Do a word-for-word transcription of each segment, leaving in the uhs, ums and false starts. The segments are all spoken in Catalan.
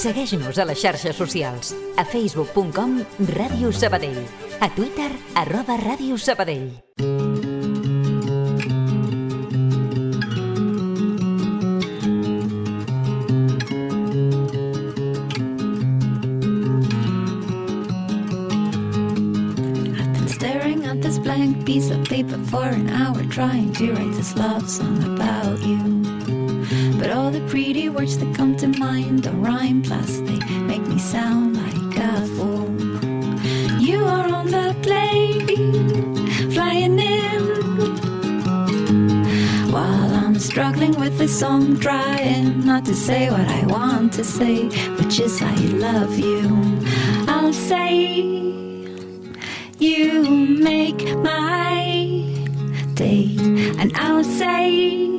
Segueix-nos a les xarxes socials. A facebook punt com Ràdio Sabadell. A Twitter, arroba Ràdio Sabadell. Piece of paper for an hour trying to write this love song about you, but all the pretty words that come to mind don't rhyme, plus they make me sound like a fool. You are on the plane, flying in, while I'm struggling with this song, trying not to say what I want to say, which is I love you. I'll say you make my day, and I'll say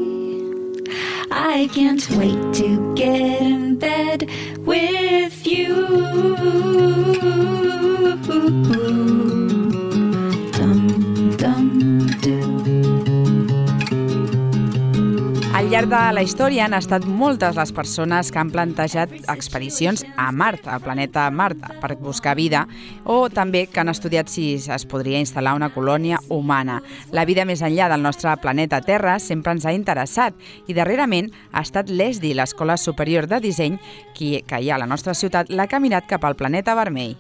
I can't wait to get in bed with you. Dum, dum, dum. Al llarg de la història han estat moltes les persones que han plantejat expedicions a Mart, al planeta Mart, per buscar vida, o també que han estudiat si es podria instal·lar una colònia humana. La vida més enllà del nostre planeta Terra sempre ens ha interessat i darrerament ha estat l'E S D I, l'Escola Superior de Disseny, qui, que hi ha a la nostra ciutat, la que ha mirat cap al planeta vermell.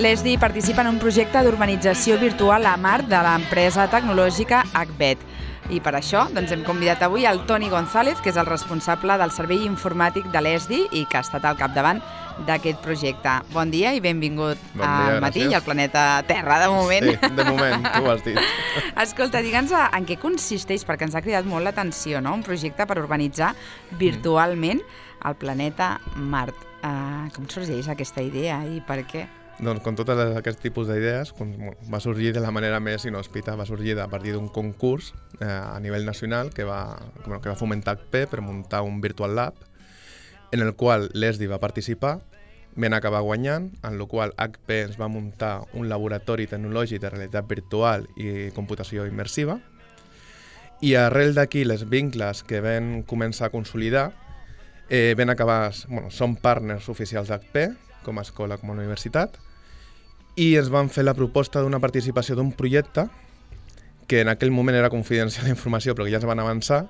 L'E S D I participa en un projecte d'urbanització virtual a Mart de l'empresa tecnològica Acbet. I per això doncs, hem convidat avui el Toni González, que és el responsable del servei informàtic de l'E S D I i que ha estat al capdavant d'aquest projecte. Bon dia i benvingut bon dia, al matí gràcies. i al planeta Terra, de moment. Sí, de moment, tu ho has dit. Escolta, digue'ns en què consisteix, perquè ens ha cridat molt l'atenció, no? Un projecte per urbanitzar virtualment el planeta Mart. Uh, com sorgeix aquesta idea i per què? Doncs com tots aquests tipus d'idees, va sorgir de la manera més inhòspita, va sorgir a partir d'un concurs eh, a nivell nacional que va, bueno, que va fomentar H P per muntar un Virtual Lab en el qual l'E S D I va participar, vam acabar guanyant, en el qual H P ens va muntar un laboratori tecnològic de realitat virtual i computació immersiva i arrel d'aquí les vincles que vam començar a consolidar eh, vam acabar, bueno, som partners oficials d'H P com a escola, com a universitat, i ens van fer la proposta d'una participació d'un projecte que en aquell moment era confidencial la informació però que ja ens van avançar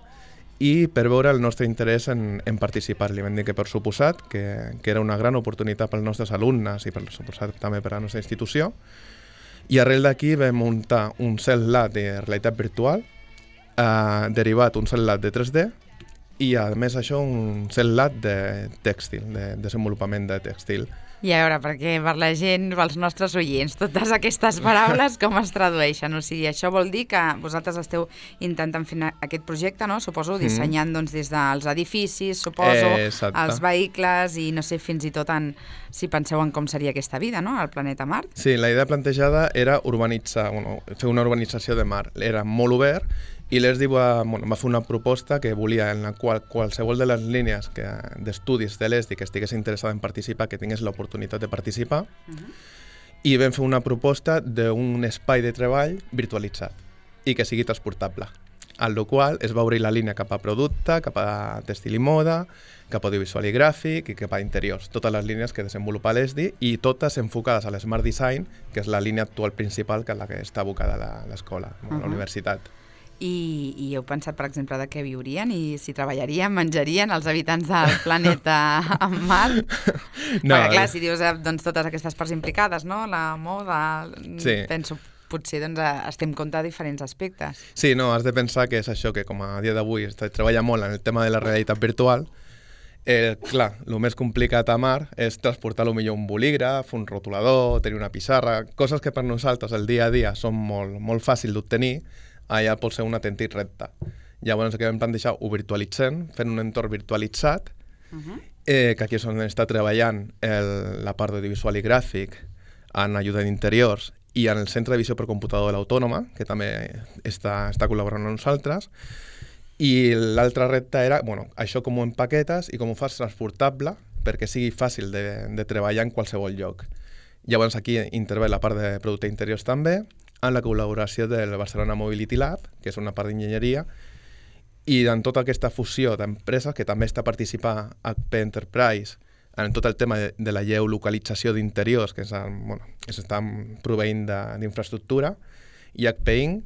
i per veure el nostre interès en, en participar. Li vam dir que per suposat, que, que era una gran oportunitat pels nostres alumnes i per suposat també per a la nostra institució, i arrel d'aquí vam muntar un Cell Lab de realitat virtual, eh, derivat un Cell Lab de tres D i a més això un Cell Lab de tèxtil, de desenvolupament de tèxtil. I a veure, perquè per la gent, pels nostres oients, totes aquestes paraules com es tradueixen? O sigui, això vol dir que vosaltres esteu intentant fer aquest projecte, no? Suposo, dissenyant mm. doncs, des dels edificis, suposo, eh, els vehicles i no sé, fins i tot en, si penseu en com seria aquesta vida, no?, al planeta Mart. Sí, la idea plantejada era urbanitzar, bueno, fer una urbanització de Mart. Era molt obert i l'E S D I va, bueno, va fer una proposta que volia en la qual qualsevol de les línies que, d'estudis de l'E S D I que estigués interessada en participar, que tingués l'oportunitat de participar, uh-huh. i vam fer una proposta d'un espai de treball virtualitzat i que sigui transportable, en la qual es va obrir la línia cap a producte, cap a tèxtil i moda, cap a audiovisual i gràfic i cap a interiors, totes les línies que desenvolupa l'E S D I i totes enfocades a l'Smart Design, que és la línia actual principal que és la que està abocada a l'escola, a la uh-huh. universitat. I, I heu pensat, per exemple, de què viurien i si treballarien, menjarien els habitants del planeta Mart? No, perquè, clar, si dius doncs, totes aquestes parts implicades, no? La moda, sí. penso, potser doncs, estem en compte de diferents aspectes. Sí, no, has de pensar que és això, que com a dia d'avui es treballa molt en el tema de la realitat virtual, eh, clar, el més complicat a Mart és transportar millor un bolígraf, un rotulador, tenir una pissarra, coses que per nosaltres el dia a dia són molt, molt fàcils d'obtenir, allà pot ser un autèntic repte. Llavors, el que vam plantejar, ho virtualitzem, fent un entorn virtualitzat, uh-huh. eh, que aquí és on està treballant el, la part audiovisual i gràfic, en ajuda d'interiors, i en el Centre de Visió per Computador de l'Autònoma, que també està, està col·laborant amb nosaltres. I l'altre repte era, bueno, això com ho empaquetes i com ho fas transportable perquè sigui fàcil de, de treballar en qualsevol lloc. Llavors aquí intervé la part de producte interiors també, amb la col·laboració del Barcelona Mobility Lab, que és una part d'enginyeria, i en tota aquesta fusió d'empreses, que també està participant H P Enterprise en tot el tema de, de la geolocalització d'interiors, que bueno, s'estan proveint d'infraestructura, i H P Inc,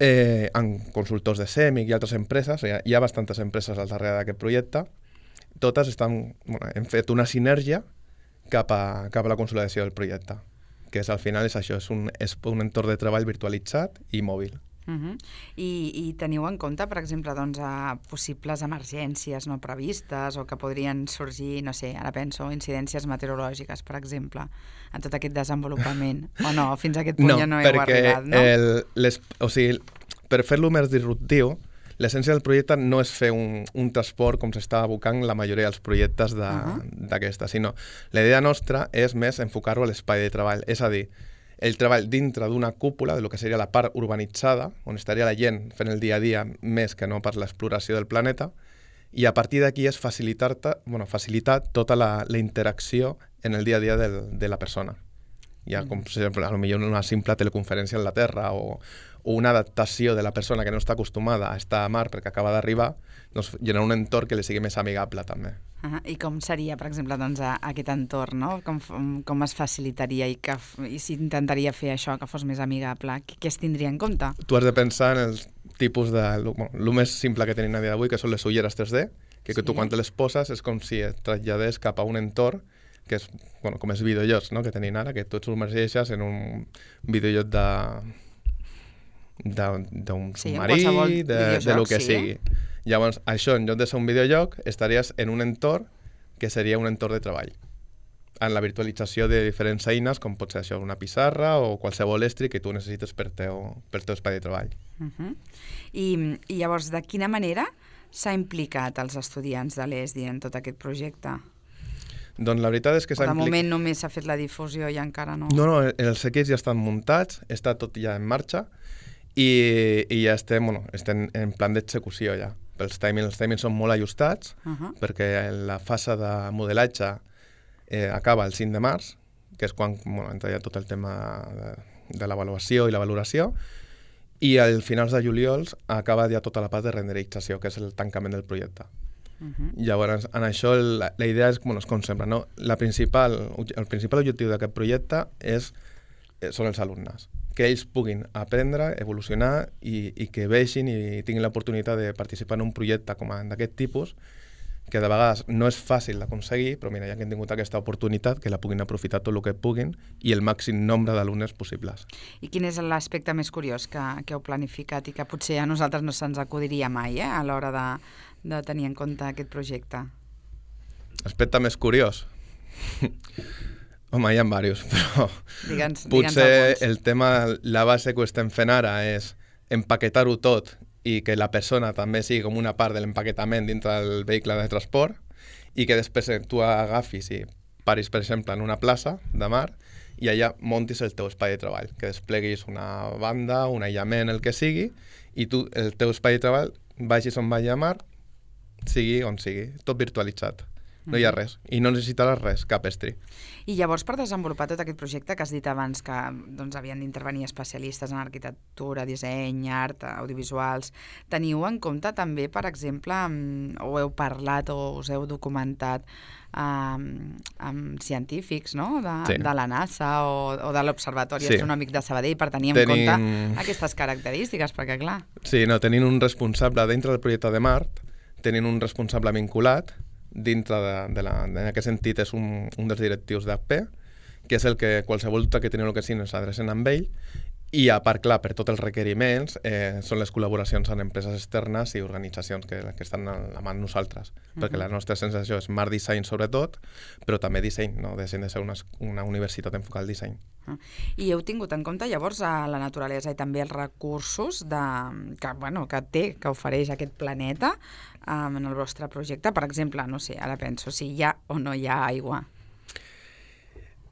eh, amb consultors de SEMIC i altres empreses, hi ha, hi ha bastantes empreses al darrere d'aquest projecte, totes estan, bueno, hem fet una sinergia cap a, cap a la consolidació del projecte, que és, al final és això, és un, és un entorn de treball virtualitzat i mòbil. Uh-huh. I, I teniu en compte, per exemple, doncs, a possibles emergències no previstes o que podrien sorgir, no sé, ara penso, incidències meteorològiques, per exemple, en tot aquest desenvolupament? O no, fins a aquest punt no, ja no heu arribat, no? El, les, o sigui, per fer-lo més disruptiu, l'essència del projecte no és fer un, un transport com s'està abocant la majoria dels projectes d'aquesta, uh-huh. sinó la idea nostra és més enfocar-ho a l'espai de treball, és a dir, el treball dintre d'una cúpula, de lo que seria la part urbanitzada, on estaria la gent fent el dia a dia més que no per l'exploració del planeta, i a partir d'aquí és facilitar, bueno, facilitar tota la, la interacció en el dia a dia del, de la persona. Hi ha, com, per exemple, a lo millor una simple teleconferència en la Terra o, o una adaptació de la persona que no està acostumada a estar a mar perquè acaba d'arribar, doncs generar un entorn que li sigui més amigable també. Uh-huh. I com seria, per exemple, doncs, a, a aquest entorn, no? Com, com es facilitaria i, que, i s'intentaria fer això, que fos més amigable? Què, què es tindria en compte? Tu has de pensar en els tipus de... El bueno, més simple que tenim a dia d'avui, que són les ulleres tres D, que, sí. que tu quan te les poses és com si et traslladés cap a un entorn que és, bueno, com els videojocs, no?, que tenim ara, que tu et submergeixes en un videojoc de d'un sí, submarí, de, de lo que sí, sigui. Eh? Llavors, això, en lloc de ser un videojoc, estaries en un entorn que seria un entorn de treball, en la virtualització de diferents eines, com pot ser això, una pissarra o qualsevol estri que tu necessites per teu, per teu espai de treball. Uh-huh. I, I llavors, de quina manera s'ha implicat els estudiants de l'E S D I en tot aquest projecte? Doncs la veritat és que s'ha implicat... De implic... moment només s'ha fet la difusió i encara no... No, no, els equips ja estan muntats, està tot ja en marxa i, i ja estem, bueno, estem en plan d'execució ja. Els timings, els timings són molt ajustats uh-huh. perquè la fase de modelatge eh, acaba el cinc de març, que és quan bueno, entra ja tot el tema de, de l'avaluació i la valoració, i al finals de juliol acaba ja tota la part de renderització, que és el tancament del projecte. Uh-huh. Llavors, en això la, la idea és, bueno, és com sempre, no? La principal, el principal objectiu d'aquest projecte és, eh, són els alumnes, que ells puguin aprendre, evolucionar i, i que vegin i tinguin l'oportunitat de participar en un projecte com d'aquest tipus, que de vegades no és fàcil d'aconseguir, però mira, ja que hem tingut aquesta oportunitat, que la puguin aprofitar tot el que puguin i el màxim nombre d'alumnes possibles. I quin és l'aspecte més curiós que, que heu planificat i que potser a nosaltres no se'ns acudiria mai eh, a l'hora de, de tenir en compte aquest projecte? Aspecte més curiós? Home, hi ha diversos, però digue'ns, potser digue'ns el tema, la base que estem fent ara és empaquetar-ho tot i que la persona també sigui com una part de l'empaquetament dintre del vehicle de transport i que després tu agafis i paris, per exemple, en una plaça de mar i allà montis el teu espai de treball, que despleguis una banda, un aïllament, el que sigui, i tu, el teu espai de treball, vagis on vagi a mar, sigui on sigui, tot virtualitzat. No hi ha res. I no necessitaràs res, cap estri. I llavors, per desenvolupar tot aquest projecte que has dit abans que doncs, havien d'intervenir especialistes en arquitectura, disseny, art, audiovisuals, teniu en compte també, per exemple, o heu parlat o us heu documentat amb, amb científics no? de, sí. de la NASA o, o de l'Observatori sí. Astronòmic de Sabadell per tenir en Tenim... compte aquestes característiques, perquè clar... Sí, no, tenint un responsable dintre del projecte de Mart, tenint un responsable vinculat, dintre de, de la, en aquest sentit és un, un dels directius d'H P, que és el que qualsevol dubte que teniu el que sigui s'adrecen amb ell, I a part, clar, per tots els requeriments, eh, són les col·laboracions amb empreses externes i organitzacions que, que estan a la mà de nosaltres. Uh-huh. Perquè la nostra sensació és Mart Design sobretot, però també disseny, no deixem de ser una, una universitat enfocada al disseny. Uh-huh. I heu tingut en compte llavors a la naturalesa i també els recursos de, que, bueno, que té, que ofereix aquest planeta um, en el vostre projecte? Per exemple, no sé, ara penso si hi ha o no hi ha aigua.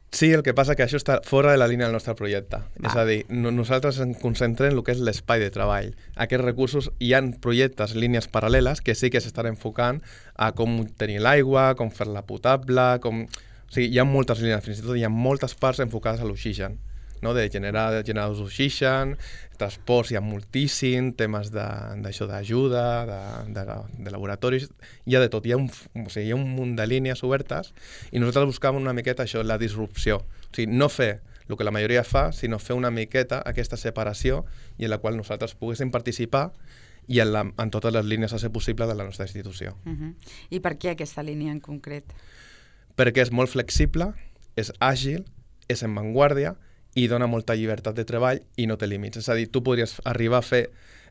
Sí, el que passa que això està fora de la línia del nostre projecte. Va. És a dir, no, nosaltres ens concentrem en el que és l'espai de treball. Aquests recursos, hi ha projectes, línies paral·leles, que sí que s'estan enfocant a com tenir l'aigua, com fer-la potable, com... O sigui, hi ha moltes línies, fins i tot hi ha moltes parts enfocades a l'oxigen, no? De generar generadors d'oxigen, transports hi ha moltíssim, temes d'això d'ajuda, de, de, de laboratoris, hi ha de tot, hi ha, un, o sigui, hi ha un munt de línies obertes i nosaltres buscàvem una miqueta això, la disrupció. O sigui, no fer el que la majoria fa, sinó fer una miqueta aquesta separació i en la qual nosaltres poguéssim participar i en, la, en totes les línies a ser possible de la nostra institució. Uh-huh. I per què aquesta línia en concret? Perquè és molt flexible, és àgil, és en vanguardia i dona molta llibertat de treball i no té límits. És a dir, tu podries arribar a fer...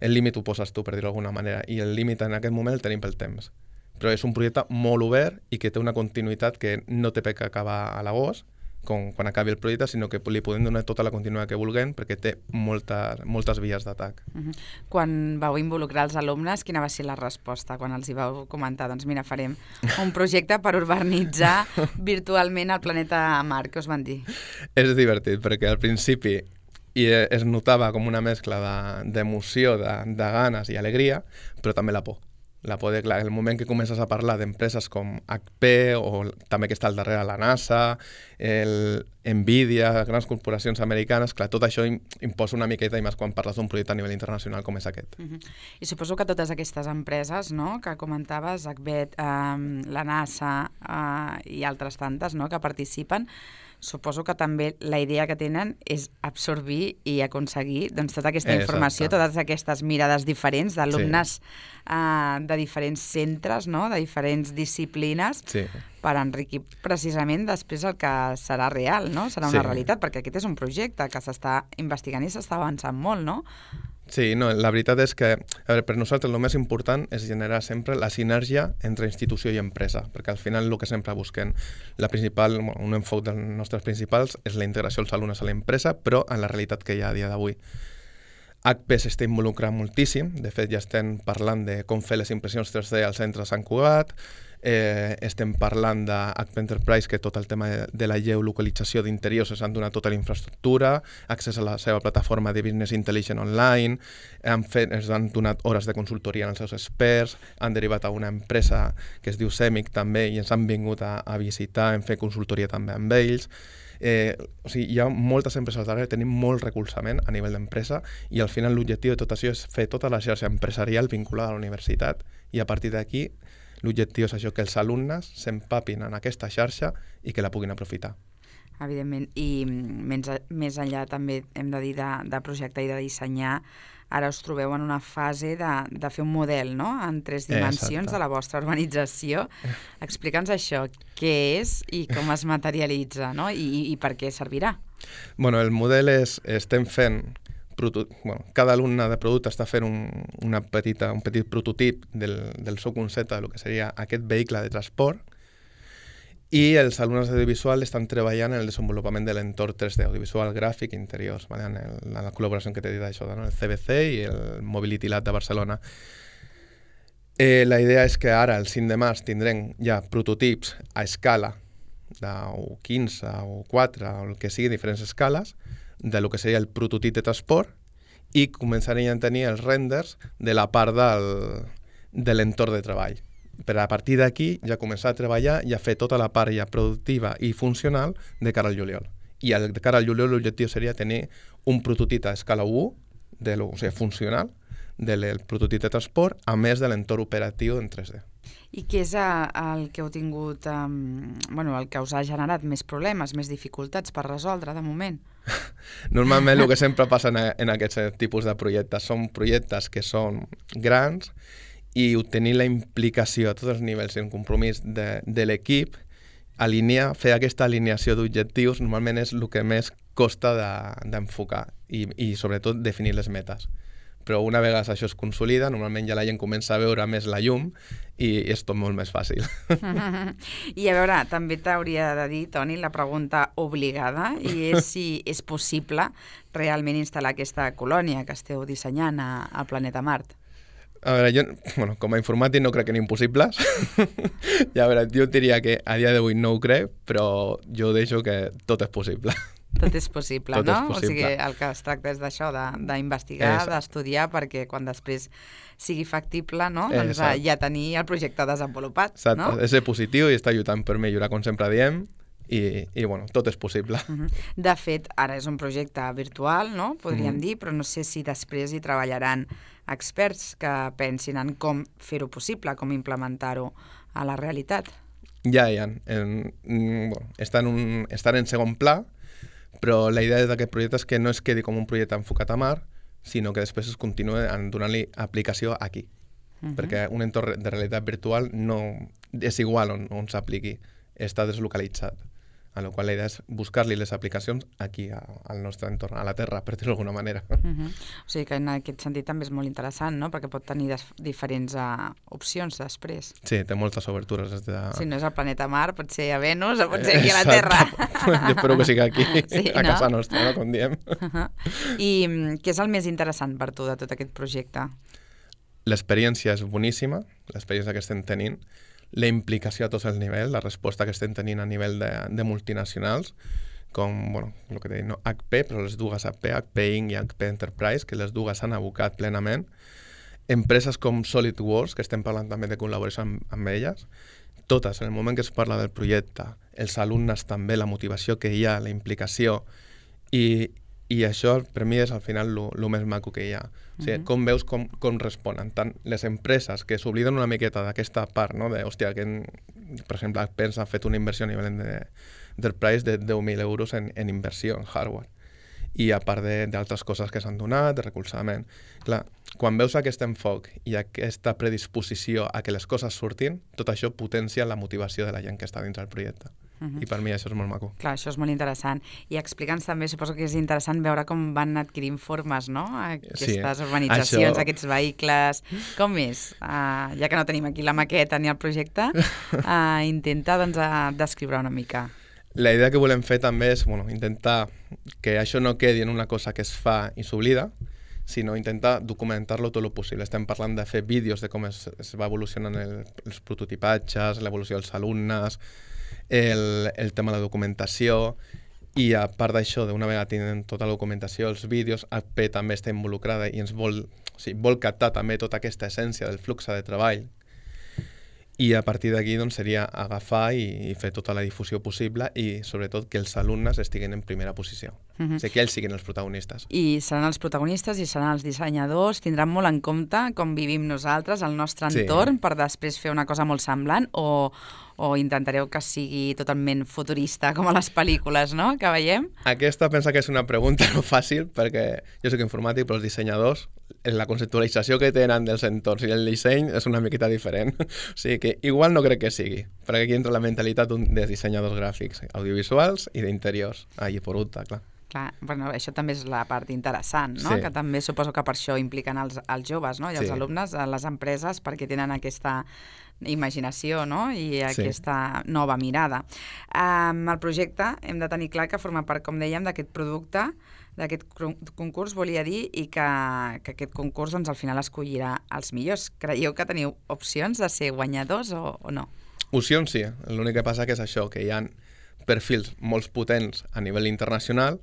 El límit ho poses tu, per dir-ho d'alguna manera, i el límit en aquest moment el tenim pel temps. Però és un projecte molt obert i que té una continuïtat que no té per què acabar a l'agost, com quan acabi el projecte, sinó que li podem donar tota la continuïtat que vulguem perquè té molta, moltes vies d'atac. Uh-huh. Quan vau involucrar els alumnes, quina va ser la resposta quan els hi vau comentar? Doncs mira, farem un projecte per urbanitzar virtualment el planeta Mart. Què us van dir? És divertit, perquè al principi i es notava com una mescla d'emoció, de, de, de ganes i alegria, però també la por. La por de, clar, el moment que comences a parlar d'empreses com H P o també que està al darrere la NASA, el Nvidia, grans corporacions americanes, clar, tot això imposa una miqueta i més quan parles d'un projecte a nivell internacional com és aquest. Uh-huh. I suposo que totes aquestes empreses, no?, que comentaves, H B E T, um, la NASA uh, i altres tantes, no?, que participen, suposo que també la idea que tenen és absorbir i aconseguir doncs, tota aquesta informació, Exacte. Totes aquestes mirades diferents d'alumnes sí. uh, de diferents centres, no?, de diferents disciplines, sí. per enriquir precisament després el que serà real, no? Serà una sí. realitat, perquè aquest és un projecte que s'està investigant i s'està avançant molt, no? Sí, no, la veritat és que a veure, per nosaltres el més important és generar sempre la sinergia entre institució i empresa, perquè al final el que sempre busquem, la principal, un enfoc dels nostres principals és la integració dels alumnes a l'empresa, però en la realitat que hi ha a dia d'avui. H P s'està involucrant moltíssim, de fet ja estem parlant de com fer les impressions tres D al centre de Sant Cugat, eh, estem parlant de H P Enterprise, que tot el tema de, de la geolocalització d'interiors s'han donat tota la infraestructura, accés a la seva plataforma de Business Intelligence online, han fet, ens han donat hores de consultoria als seus experts, han derivat a una empresa que es diu Semic també i ens han vingut a, a visitar, hem fet consultoria també amb ells. Eh, o sigui, hi ha moltes empreses al darrere, tenim molt recolzament a nivell d'empresa i al final l'objectiu de tot això és fer tota la xarxa empresarial vinculada a la universitat i a partir d'aquí l'objectiu és això, que els alumnes s'empapin en aquesta xarxa i que la puguin aprofitar. Evidentment, i més, més enllà també hem de dir de, de projecte i de dissenyar, ara us trobeu en una fase de, de fer un model, no?, en tres dimensions Exacte. De la vostra urbanització. Explica'ns això, què és i com es materialitza, no?, I, i per què servirà. Bueno, el model és, estem fent, bueno, cada alumne de producte està fent un, una petita, un petit prototip del, del seu concepte del que seria aquest vehicle de transport, i els alumnes d'audiovisual estan treballant en el desenvolupament de l'entorn tres D, audiovisual, gràfic, interiors, ¿vale? en, el, en la col·laboració que t'he dit això, no? El C B C i el Mobility Lab de Barcelona. Eh, la idea és que ara, el cinc de març, tindrem ja prototips a escala de quinze o quatre, o el que sigui, diferents escales, de lo que seria el prototip de transport, i començarem a tenir els renders de la part del, de l'entorn de treball. Per a partir d'aquí ja començar a treballar i a fer tota la part ja productiva i funcional de cara al juliol. I al, de cara al juliol l'objectiu seria tenir un prototip a escala u, de lo, o sigui, funcional, del prototip de transport, a més de l'entorn operatiu en tres D. I què és el que heu tingut, um, bueno, el que us ha generat més problemes, més dificultats per resoldre de moment? Normalment el que sempre passa en, en aquests tipus de projectes són projectes que són grans i obtenir la implicació a tots els nivells i el compromís de, de l'equip, alinear, fer aquesta alineació d'objectius, normalment és el que més costa d'enfocar de, i, i sobretot definir les metes. Però una vegada això es consolida, normalment ja la gent comença a veure més la llum i és tot molt més fàcil. I a veure, també t'hauria de dir, Toni, la pregunta obligada, i és si és possible realment instal·lar aquesta colònia que esteu dissenyant a, al planeta Mart. A veure, jo, bueno, com a informàtic no crec en impossibles. I a veure, jo diria que a dia d'avui no ho crec, però jo deixo que tot és possible. Tot és possible, tot no? És possible. O sigui, el que es tracta és d'això, d'investigar, d'estudiar, perquè quan després sigui factible, no? Doncs ja tenir el projecte desenvolupat, Exacte. No? És ser positiu i estar lluitant per millorar, com sempre diem, i, i bueno, tot és possible. Uh-huh. De fet, ara és un projecte virtual, no? Podríem uh-huh. dir, però no sé si després hi treballaran experts que pensin en com fer-ho possible, com implementar-ho a la realitat. Ja hi ha. En, bueno, estan, un, estan en segon pla, però la idea d'aquest projecte és que no es quedi com un projecte enfocat a mar, sinó que després es continuï donant-li aplicació aquí. Uh-huh. Perquè un entorn de realitat virtual no és igual on, on s'apliqui, està deslocalitzat. A la qual la idea és buscar-li les aplicacions aquí, a, al nostre entorn, a la Terra, per dir-ho d'alguna manera. Uh-huh. O sigui que en aquest sentit també és molt interessant, no? Perquè pot tenir des, diferents uh, opcions després. Sí, té moltes obertures. Des de... Si no és al planeta Mar, pot ser a Venus o pot ser aquí a la Terra. Jo espero que sigui aquí, sí, a no? casa nostra, no? Com diem. Uh-huh. I què és el més interessant per tu de tot aquest projecte? L'experiència és boníssima, l'experiència que estem tenint, la implicació a tots els nivells, la resposta que estem tenint a nivell de, de multinacionals, com, bueno, el que deia, no? H P, però les dues H P, H P Inc i H P Enterprise, que les dues s'han abocat plenament. Empreses com SolidWorks, que estem parlant també de col·laboració amb, amb elles, totes, en el moment que es parla del projecte, els alumnes també, la motivació que hi ha, la implicació, i, i això per mi és al final el més maco que hi ha. O sigui, uh-huh. com veus com, com responen tant les empreses que s'obliden una miqueta d'aquesta part, no? De, hòstia, que en, per exemple, H P ha fet una inversió a nivell de, d'Enterprise de deu mil euros en, en inversió en hardware. I a part d'altres coses que s'han donat, de recolzament. Clar, quan veus aquest enfoc i aquesta predisposició a que les coses surtin, tot això potencia la motivació de la gent que està dins del projecte. Uh-huh. I per mi això és molt maco. Clar, això és molt interessant. I explica'ns també, suposo que és interessant veure com van adquirint formes, no? Aquestes sí, urbanitzacions, això... aquests vehicles... Com és? Uh, ja que no tenim aquí la maqueta ni el projecte, uh, intenta doncs, uh, descriure una mica. La idea que volem fer també és bueno, intentar que això no quedi en una cosa que es fa i s'oblida, sinó intentar documentar-lo tot el possible. Estem parlant de fer vídeos de com es, es va evolucionant el, els prototipatges, l'evolució dels alumnes, el, el tema de la documentació, i a part d'això, d'una vegada tenen tota la documentació, els vídeos, H P també està involucrada i ens vol, o sigui, vol captar també tota aquesta essència del flux de treball. I a partir d'aquí doncs, seria agafar i, i fer tota la difusió possible i sobretot que els alumnes estiguin en primera posició. Uh-huh. O sigui, que ells siguin els protagonistes. I seran els protagonistes i seran els dissenyadors, tindran molt en compte com vivim nosaltres, el nostre entorn, sí. Per després fer una cosa molt semblant o, o intentareu que sigui totalment futurista com a les pel·lícules, no?, que veiem? Aquesta pensa que és una pregunta no fàcil perquè jo soc informàtic, però els dissenyadors la conceptualització que tenen dels entorns i el disseny és una miqueta diferent. O sigui que igual no crec que sigui, perquè aquí entra la mentalitat dels dissenyadors gràfics, audiovisuals i d'interiors. Ah, i per ultra, clar. Clar, bueno, això també és la part interessant, no? Sí. Que també suposo que per això impliquen els, els joves, no? I els sí. alumnes, les empreses, perquè tenen aquesta imaginació, no? I aquesta sí. nova mirada. Um, el projecte hem de tenir clar que forma part, com dèiem, d'aquest producte, d'aquest concurs, volia dir, i que, que aquest concurs doncs, al final escollirà els millors. Creieu que teniu opcions de ser guanyadors o, o no? Opcions sí, l'únic que passa que és això, que hi ha perfils molt potents a nivell internacional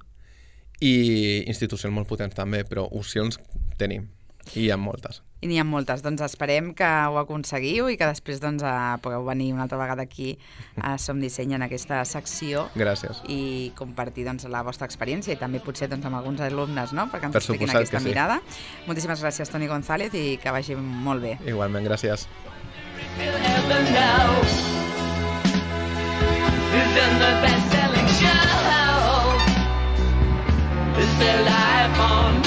i institucions molt potents també, però opcions tenim, i hi ha moltes. I n'hi ha moltes, doncs esperem que ho aconseguiu i que després doncs, pugueu venir una altra vegada aquí a Som Disseny en aquesta secció. Gràcies. I compartir doncs, la vostra experiència i també potser doncs, amb alguns alumnes, no?, perquè ens per expliquin aquesta sí. mirada. Moltíssimes gràcies, Toni González, i que vagi molt bé. Igualment, gràcies. Is there life on